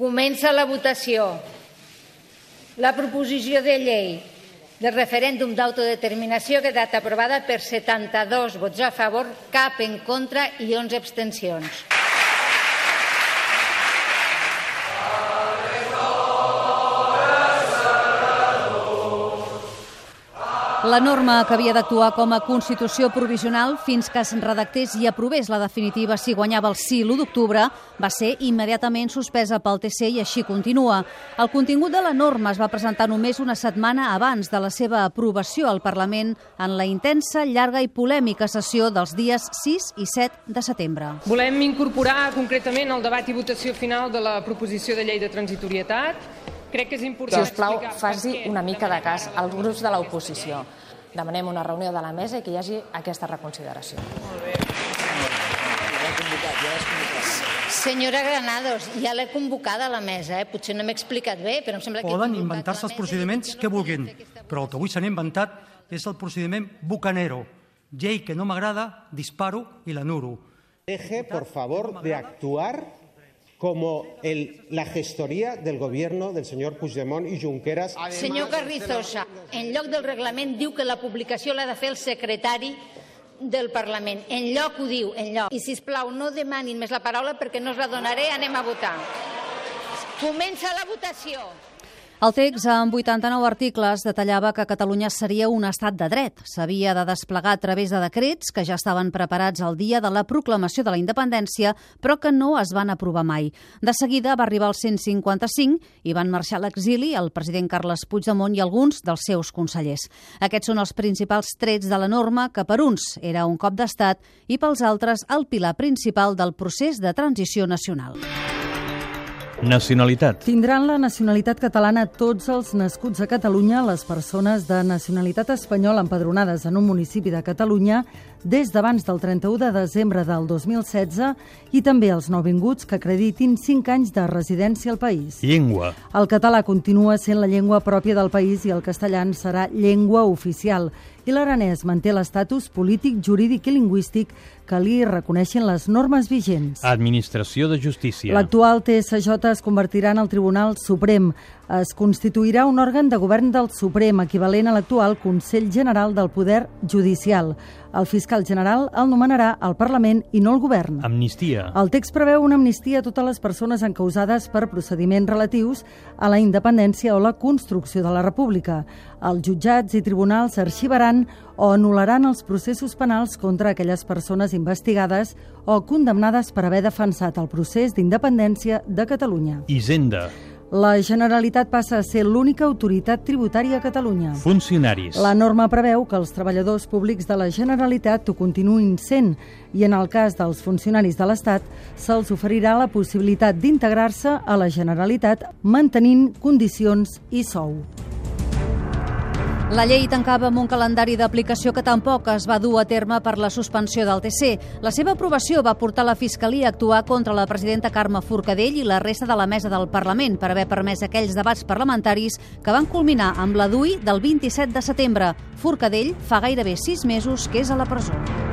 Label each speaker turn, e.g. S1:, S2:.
S1: Comença la votació. La proposició de llei del referèndum d'autodeterminació ha quedat aprovada per 72 vots a favor, cap en contra i 11 abstencions.
S2: La norma que havia d'actuar com a Constitució provisional fins que es redactés i aprovés la definitiva si guanyava el sí l'1 d'octubre va ser immediatament suspesa pel TC i així continua. El contingut de la norma es va presentar només una setmana abans de la seva aprovació al Parlament en la intensa, llarga i polèmica sessió dels dies 6 i 7 de setembre.
S3: Volem incorporar concretament el debat i votació final de la proposició de llei de transitorietat. Crec que és important.
S4: Si us plau, faci una mica de cas als grups de l'oposició. Demanem una reunió de la mesa i que hi hagi aquesta reconsideració.
S1: Senyora Granados, ja l'he convocada a la mesa, potser no m'he explicat bé, però em sembla que...
S5: Poden inventar-se els procediments que vulguin, però el que avui s'han inventat és el procediment bucanero. Llei que no m'agrada, disparo i l'anuro.
S6: Deje, por favor, de actuar como la gestoría del gobierno del señor Puigdemont y Junqueras.
S1: Senyor Carrizosa, en lloc del reglament diu que la publicació l'ha de fer el secretari del Parlament. En lloc ho diu, en lloc. I, sisplau, no demanin més la paraula perquè no us la donaré, anem a votar. Comença la votació.
S2: El text, amb 89 articles, detallava que Catalunya seria un estat de dret. S'havia de desplegar a través de decrets que ja estaven preparats el dia de la proclamació de la independència, però que no es van aprovar mai. De seguida va arribar el 155 i van marxar a l'exili el president Carles Puigdemont i alguns dels seus consellers. Aquests són els principals trets de la norma que per uns era un cop d'estat i pels altres el pilar principal del procés de transició nacional.
S7: Nacionalitat.
S8: Tindran la nacionalitat catalana tots els nascuts a Catalunya, les persones de nacionalitat espanyola empadronades en un municipi de Catalunya des d'abans del 31 de desembre del 2016 i també els nouvinguts que acreditin 5 anys de residència al país.
S7: Llengua.
S8: El català continua sent la llengua pròpia del país i el castellà serà llengua oficial. I l'aranès manté l'estatus polític, jurídic i lingüístic que li reconeixen les normes vigents.
S7: Administració de Justícia.
S8: L'actual TSJ es convertirà en el Tribunal Suprem. Es constituirà un òrgan de govern del Suprem, equivalent a l'actual Consell General del Poder Judicial. El fiscal general el nomenarà el Parlament i no el govern.
S7: Amnistia.
S8: El text preveu una amnistia a totes les persones encausades per procediments relatius a la independència o la construcció de la República. Els jutjats i tribunals arxivaran o anul·laran els processos penals contra aquelles persones investigades o condemnades per haver defensat el procés d'independència de Catalunya.
S7: Hisenda.
S8: La Generalitat passa a ser l'única autoritat tributària a Catalunya.
S7: Funcionaris.
S8: La norma preveu que els treballadors públics de la Generalitat ho continuïn sent i en el cas dels funcionaris de l'Estat se'ls oferirà la possibilitat d'integrar-se a la Generalitat mantenint condicions i sou.
S2: La llei tancava amb un calendari d'aplicació que tampoc es va dur a terme per la suspensió del TC. La seva aprovació va portar la Fiscalia a actuar contra la presidenta Carme Forcadell i la resta de la mesa del Parlament per haver permès aquells debats parlamentaris que van culminar amb la DUI del 27 de setembre. Forcadell fa gairebé 6 mesos que és a la presó.